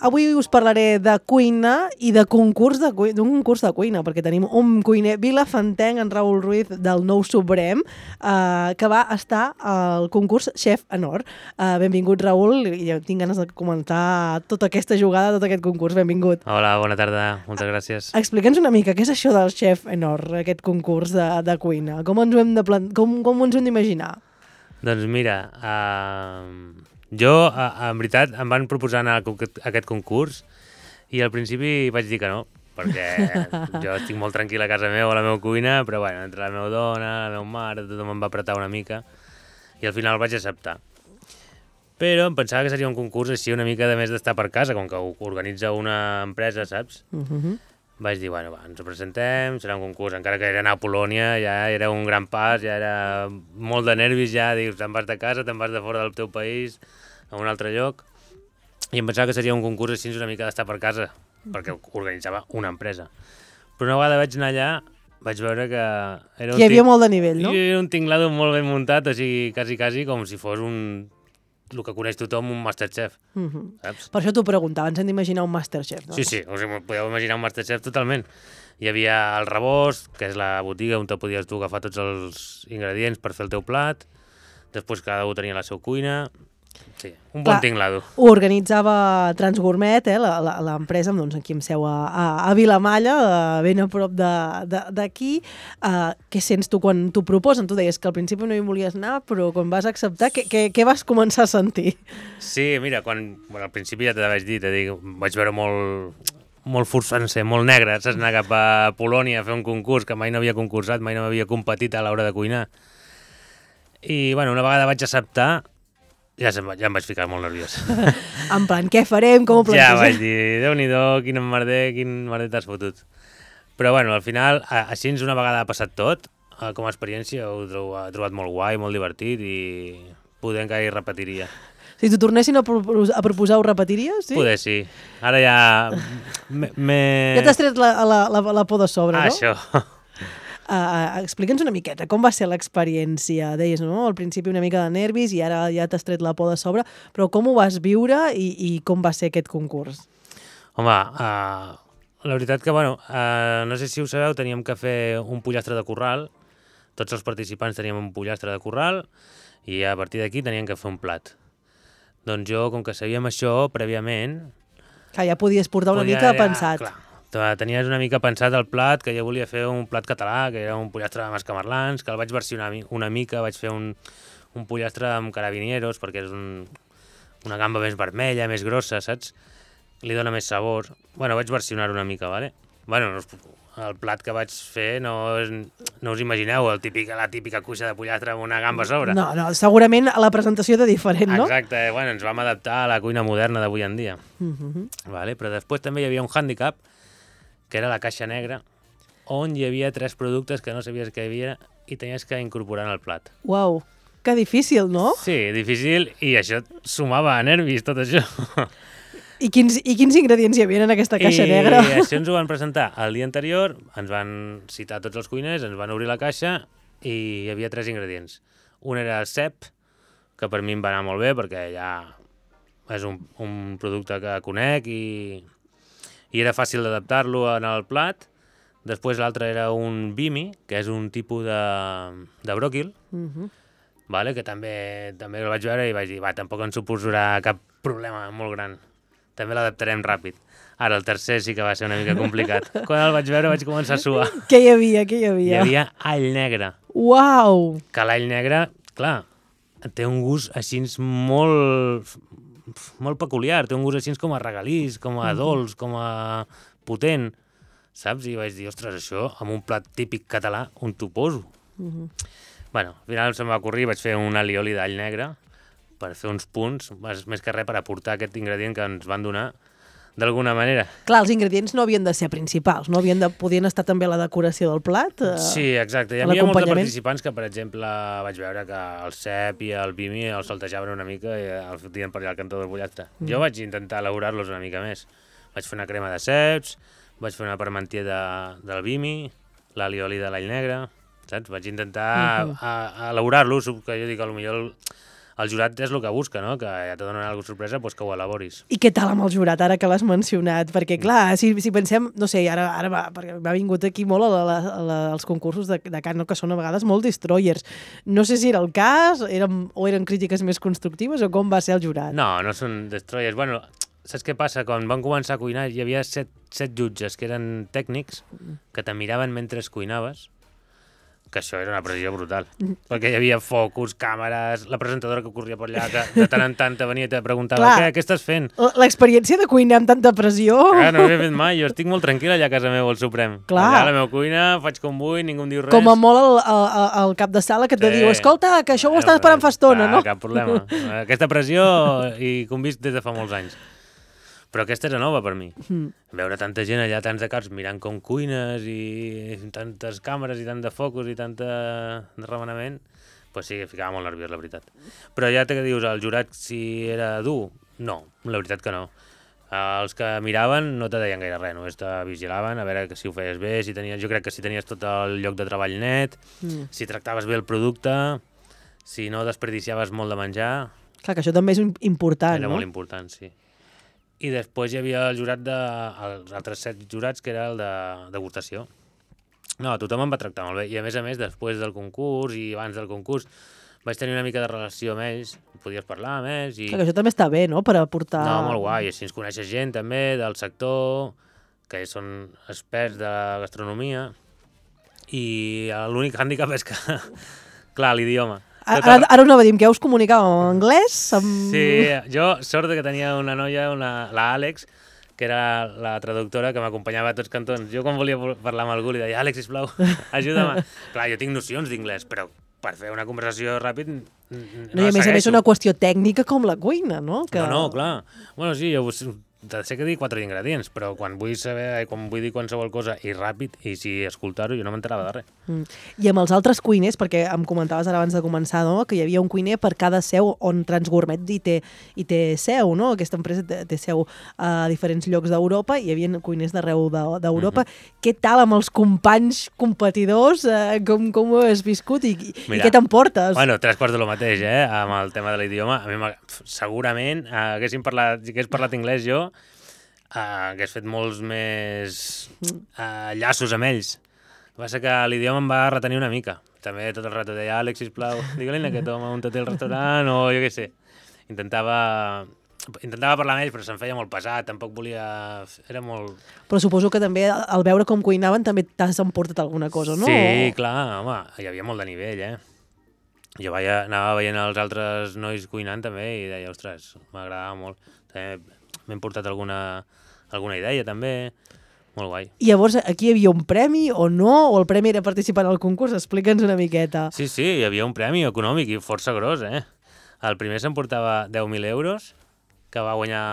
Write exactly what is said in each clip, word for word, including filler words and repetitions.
avui us parlaré de cuina i de concurs de cuina, d'un concurs de cuina, perquè tenim un cuiner vilafantenc, en Raül Ruiz, del Nou Suprem, eh, que va estar al concurs Chef Honor. Eh, benvingut, Raül, i tinc ganes de comentar tota aquesta jugada, tot aquest concurs. Benvingut. Hola, bona tarda, moltes gràcies. Explica'ns una mica, què és això del Chef Honor, aquest concurs de, de cuina? Com ens ho hem de plan... com, com ens ho hem d'imaginar? Doncs mira, uh, jo, uh, en veritat, em van proposar anar a aquest concurs i al principi vaig dir que no, perquè jo estic molt tranquil a casa meva, a la meva cuina, però bueno, entre la meva dona, la meva mare, tothom em va apretar una mica i al final vaig acceptar. Però em pensava que seria un concurs així una mica de més d'estar per casa, com que ho organitza una empresa, saps? Uh-huh. Vaig dir, bueno, va, ens ho presentem, serà un concurs, encara que era anar a Polònia, ja era un gran pas, ja era molt de nervis, ja dius, te'n vas de casa, te'n vas de fora del teu país, a un altre lloc, i em pensava que seria un concurs així una mica d'estar per casa, perquè organitzava una empresa. Però una vegada vaig anar allà, vaig veure que... Era un Hi havia ting... molt de nivell, no? Era un tinglado molt ben muntat, o sigui, quasi, quasi com si fos un... el que coneix tothom, un Masterchef, uh-huh. saps? Per això t'ho preguntava, ens hem d'imaginar un Masterchef, no? Sí, sí, us podeu imaginar un Masterchef totalment. Hi havia el Rebost, que és la botiga on te podies tu agafar tots els ingredients per fer el teu plat, després cada un tenia la seva cuina... Sí, un bon tinglado. Ho organitzava Transgourmet, eh, l'empresa doncs, aquí amb seu a, a, a Vilamalla, ben a prop d'aquí. Uh, què sents tu quan t'ho proposen? Tu deies que al principi no hi volies anar, però quan vas acceptar, què, què, què vas començar a sentir? Sí, mira, quan, bueno, al principi ja te vaig dir, te dic, vaig veure molt, molt forçant-se, molt negre, saps, anar cap a Polònia a fer un concurs que mai no havia concursat, mai no m'havia competit a l'hora de cuinar. I, bueno, una vegada vaig acceptar, Ja, ja em vaig ficar molt nerviós. En plan, què farem? Com ho plantegem? Ja vaig dir, Déu-n'hi-do, quin emmerder, quin merder t'has fotut. Però bueno, al final, així una vegada ha passat tot, com a experiència ho he trobat molt guai, molt divertit i poder encara hi repetiria. Si t'ho tornessin a, propos a proposar, ho repetiries? Sí? Poder sí. Ara ja... me... Ja t'has tret la, la, la, la por de sobre, ah, no? Això. Uh, explica'ns una miqueta, com va ser l'experiència? Deies, no? Al principi una mica de nervis i ara ja t'has tret la por de sobre, però com ho vas viure i, i com va ser aquest concurs? Home, uh, la veritat que, bueno, uh, no sé si ho sabeu, teníem que fer un pollastre de corral, tots els participants teníem un pollastre de corral i a partir d'aquí teníem que fer un plat. Doncs jo, com que sabíem això prèviament... Que ja podies portar una podia, mica ja, pensat. Clar, tenies una mica pensat el plat, que jo volia fer un plat català, que era un pollastre de mascamarlans, que el vaig versionar una mica, vaig fer un, un pollastre amb carabinieros, perquè és un, una gamba més vermella, més grossa, saps? Li dona més sabor. Bueno, vaig versionar una mica, vale? Bueno, el plat que vaig fer no, és, no us imagineu, el típic, la típica cuixa de pollastre amb una gamba a sobre. No, no, segurament la presentació era diferent, no? Exacte, bueno, ens vam adaptar a la cuina moderna d'avui en dia. Uh-huh. Vale? Però després també hi havia un hàndicap, que era la caixa negra, on hi havia tres productes que no sabies que hi havia i tenies que incorporar en el plat. Uau, que difícil, no? Sí, difícil, i això sumava a nervis, tot això. I quins, i quins ingredients hi havia en aquesta caixa I negra? I això ens ho van presentar el dia anterior, ens van citar tots els cuiners, ens van obrir la caixa i hi havia tres ingredients. Un era el cep, que per mi em va anar molt bé perquè ja és un, un producte que conec i... i era fàcil d'adaptar-lo en el plat. Després l'altre era un bimi, que és un tipus de, de bròquil, uh-huh. vale? Que també, també el vaig veure i vaig dir, va, tampoc ens suposarà cap problema molt gran. També l'adaptarem ràpid. Ara, el tercer sí que va ser una mica complicat. Quan el vaig veure vaig començar a suar. Què hi havia, què hi havia? Hi havia all negre. Uau! Que l'all negre, clar, té un gust així molt... molt peculiar, té un gust així com a regalís, com a dolç, com a potent, saps? I vaig dir, ostres, això, amb un plat típic català, on t'ho poso? Uh-huh. Bueno, al final se'm va ocorrir, vaig fer un alioli d'all negre per fer uns punts, més que res per aportar aquest ingredient que ens van donar d'alguna manera. Clar, els ingredients no havien de ser principals, no havien de, podien estar també a la decoració del plat? Eh, sí, exacte. Hi havia molts participants que, per exemple, vaig veure que el cep i el bimi els saltejaven una mica i el fotien per allà al cantó del pollastre. Mm. Jo vaig intentar elaborar-los una mica més. Vaig fer una crema de ceps, vaig fer una parmentier de, del bimi, l'alioli de l'all negre, saps? Vaig intentar uh-huh. elaborar-los, que jo dic, potser el, el jurat és el que busca, no? Que ja te donen alguna sorpresa, doncs que ho elaboris. I què tal amb el jurat, ara que l'has mencionat? Perquè, clar, si, si pensem, no sé, ara, ara va, perquè m'ha vingut aquí molt a la, a la, als concursos de, de cant, no? Que són a vegades molt destroyers. No sé si era el cas, eren, o eren crítiques més constructives, o com va ser el jurat? No, no són destroyers. Bueno, saps què passa? Quan van començar a cuinar hi havia set, set jutges que eren tècnics que te miraven mentre cuinaves, que això era una pressió brutal, perquè hi havia focus, càmeres, la presentadora que corria per allà, que de tant en tant te venia i te preguntava Clar, què, què estàs fent? L'experiència de cuinar amb tanta pressió... Clar, no ho havia fet mai, jo estic molt tranquil allà a casa meu, al Suprem. Clar. Allà a la meva cuina, faig com vull, ningú em diu res. Com a molt el, el, el cap de sala que te Sí. diu, escolta, que això ho estàs esperant fa estona, clar, no? Cap problema. Aquesta pressió i que ho hem vist des de fa molts anys. Però aquesta era nova per mi. Mm. Veure tanta gent allà, tants de caps, mirant com cuines i tantes càmeres i tant de focus i tant de, de remenament, pues sí, ficava molt nerviós, la veritat. Però ja te que dius, el jurat si era dur? No, la veritat que no. Els que miraven no te deien gaire res, només te vigilaven a veure que si ho feies bé, si tenies, jo crec que si tenies tot el lloc de treball net, mm. si tractaves bé el producte, si no desperdiciaves molt de menjar... Clar, que això també és important, era no? molt important, sí. I després hi havia el jurat de... els altres set jurats, que era el de degustació. No, tothom em va tractar molt bé. I a més a més, després del concurs i abans del concurs, vaig tenir una mica de relació amb ells, podies parlar amb ells i... Clar, que això també està bé, no?, per aportar... No, molt guai. Així ens coneixes gent, també, del sector, que són experts de gastronomia. I l'únic hàndicap és que... Clar, l'idioma. Ara, ara anava a dir, que ja us comunicàvem en anglès? Amb... Sí, jo, sort que tenia una noia, una, la Àlex, que era la traductora que m'acompanyava a tots cantons. Jo quan volia parlar amb algú li deia, Àlex, sisplau, ajuda'm. Clar, jo tinc nocions d'inglès, però per fer una conversació ràpid no, no i a més a més una qüestió tècnica com la cuina, no? Que... No, no, clar. Bueno, sí, jo sé que dir quatre ingredients, però quan vull saber, quan vull dir qualsevol cosa i ràpid, i si escoltar-ho, jo no m'enterava de res. Mm. I amb els altres cuiners, perquè em comentaves ara abans de començar, no?, que hi havia un cuiner per cada seu on Transgourmet hi té, hi té seu, no? Aquesta empresa té, té seu a diferents llocs d'Europa, i hi havia cuiners d'arreu d'Europa. Mm-hmm. Què tal amb els companys competidors? Eh, com, com ho has viscut i, Mira, i què t'emportes? Bueno, tres quarts de lo mateix, eh? Amb el tema de l'idioma. A mi segurament eh, haguéssim parlat, si hagués parlat anglès jo, Uh, hagués fet molts més uh, llaços amb ells. El que passa que l'idioma em va retenir una mica. També tot el rato deia, Àlex, sisplau, digue-li a aquest home on té el restaurant, o jo què sé. Intentava, intentava parlar amb ells, però se'm feia molt pesat, tampoc volia... Era molt... Però suposo que també, al veure com cuinaven, també t'has emportat alguna cosa, no? Sí, clar, home, hi havia molt de nivell, eh? Jo veia, anava veient els altres nois cuinant també i deia, ostres, m'agradava molt. També m'hem portat alguna... alguna idea també, molt guai. I llavors aquí hi havia un premi o no? O el premi era participar en el concurs? Explica'ns una miqueta. Sí, sí, hi havia un premi econòmic i força gros, eh? El primer s'emportava deu mil euros, que va guanyar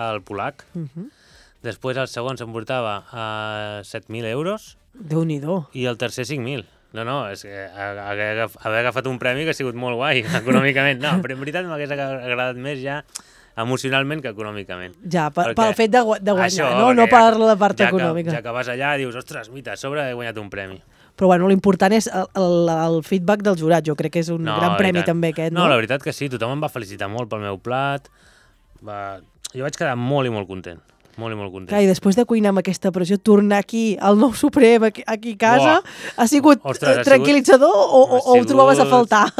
el polac. Uh-huh. Després el segon s'emportava uh, set mil euros. Déu-n'hi-do. I el tercer cinc mil. No, no, és que haver agafat un premi que ha sigut molt guai, econòmicament. No, però en veritat m'hagués agradat més ja emocionalment que econòmicament. Ja, per, pel fet de, de guanyar, això, no? No per la part ja econòmica. Que, ja que vas allà dius, ostres, mira, a sobre he guanyat un premi. Però bueno, l'important és el, el, el feedback del jurat, jo crec que és un no, gran premi també aquest, no? No, la veritat que sí, tothom em va felicitar molt pel meu plat, va... jo vaig quedar molt i molt content, molt i molt content. Clar, i després de cuinar amb aquesta pressió, tornar aquí al Nou Suprem, aquí, aquí a casa, Uah. ha sigut Ostres, tranquil·litzador ha sigut... o, o, o ho trobaves a faltar?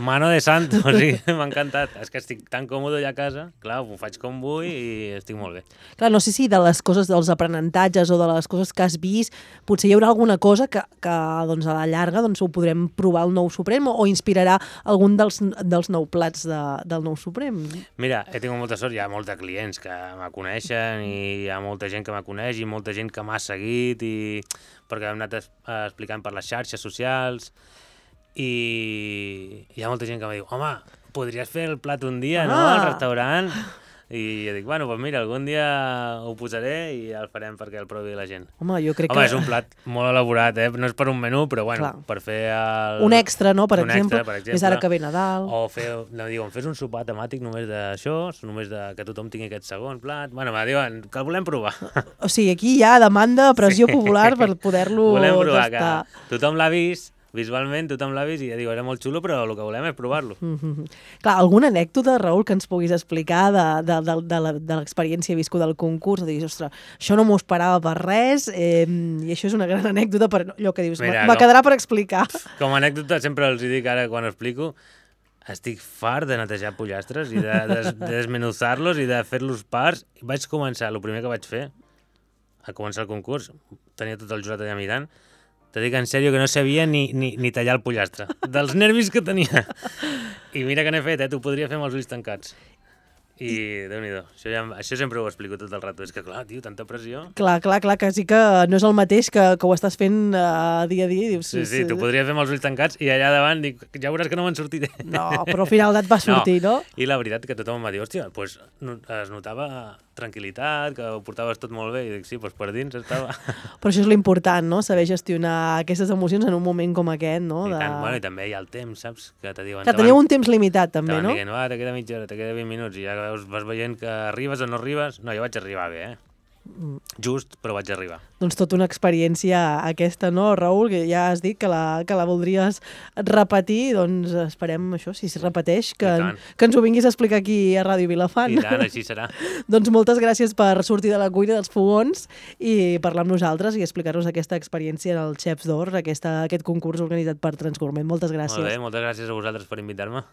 Mano de santo, o sigui, m'ha encantat. És que estic tan còmode allà a casa, clar, ho faig com vull i estic molt bé. Clar, no sé si de les coses, dels aprenentatges o de les coses que has vist, potser hi haurà alguna cosa que, que doncs, a la llarga doncs, ho podrem provar al Nou Suprem o, o inspirarà algun dels, dels nou plats de, del Nou Suprem. Mira, he tingut molta sort, hi ha molts de clients que me coneixen i hi ha molta gent que me coneix i molta gent que m'ha seguit i perquè hem anat explicant per les xarxes socials. I hi ha molta gent que em diu, home, podries fer el plat un dia, ah. no?, al restaurant? I jo dic, bueno, doncs mira, algun dia ho posaré i el farem perquè el provi la gent. Home, jo crec Home, que... és un plat molt elaborat, eh? No és per un menú, però bueno, Clar. per fer el... Un extra, no?, per, un exemple, extra, per exemple, més ara que ve Nadal. O fer, no, diuen, fes un sopar temàtic només d'això, només de que tothom tingui aquest segon plat. Bueno, me diuen que el volem provar. O sigui, aquí hi ha demanda, pressió sí. popular per poder-lo volem provar tastar. Que tothom l'ha vist, visualment tothom l'ha vist i ja diu, era molt xulo, però el que volem és provar-lo. Mm -hmm. Clar, alguna anècdota, Raül, que ens puguis explicar de, de, de, de, la- de l'experiència viscuda del concurs? De dir, ostres, això no m'ho esperava per res, eh, i això és una gran anècdota per allò que dius, Mira, me com- quedarà per explicar. Com a anècdota, sempre els hi dic ara quan ho explico, estic fart de netejar pollastres i de, de, de desmenuzar-los i de fer-los parts. Vaig començar, el primer que vaig fer, a començar el concurs, tenia tot el jurat allà mirant, te dic en sèrio que no sabia ni, ni, ni tallar el pollastre, dels nervis que tenia. I mira que n'he fet, eh? T'ho podria fer amb els ulls tancats. I Déu-n'hi-do, això, ja, això sempre ho explico tot el rato. És que clar, tio, tanta pressió. Clar, clar, clar, que sí que no és el mateix que, que ho estàs fent uh, dia a dia. I dius, Sí, sí, t'ho podria fer amb els ulls tancats i allà davant dic, ja veuràs que no me'n sortiré. No, però al final et va sortir, no? I la veritat que tothom em va dir, hòstia, pues, no, es notava tranquil·litat, que ho portaves tot molt bé, i dic, sí, pues per dins estava... Però això és l'important, no? Saber gestionar aquestes emocions en un moment com aquest, no? I, De... tant, bueno, i també hi ha el temps, saps? Que te diuen... Que teniu un temps limitat, també, T'van no? dient, va, te queda mitja hora, te queda vint minuts, i ja veus, vas veient que arribes o no arribes. No, jo vaig arribar bé, eh? Just, però vaig arribar. Doncs tota una experiència aquesta, no, Raül? Que ja has dit que la, que la voldries repetir, doncs esperem això, si es repeteix, que, I tant. que ens ho vinguis a explicar aquí a Ràdio Vilafant. I tant, així serà. Doncs moltes gràcies per sortir de la cuina dels fogons i parlar amb nosaltres i explicar-nos aquesta experiència del Chefs d'Or, aquesta, aquest concurs organitzat per Transgourmet. Moltes gràcies. Molt bé, moltes gràcies a vosaltres per invitar-me.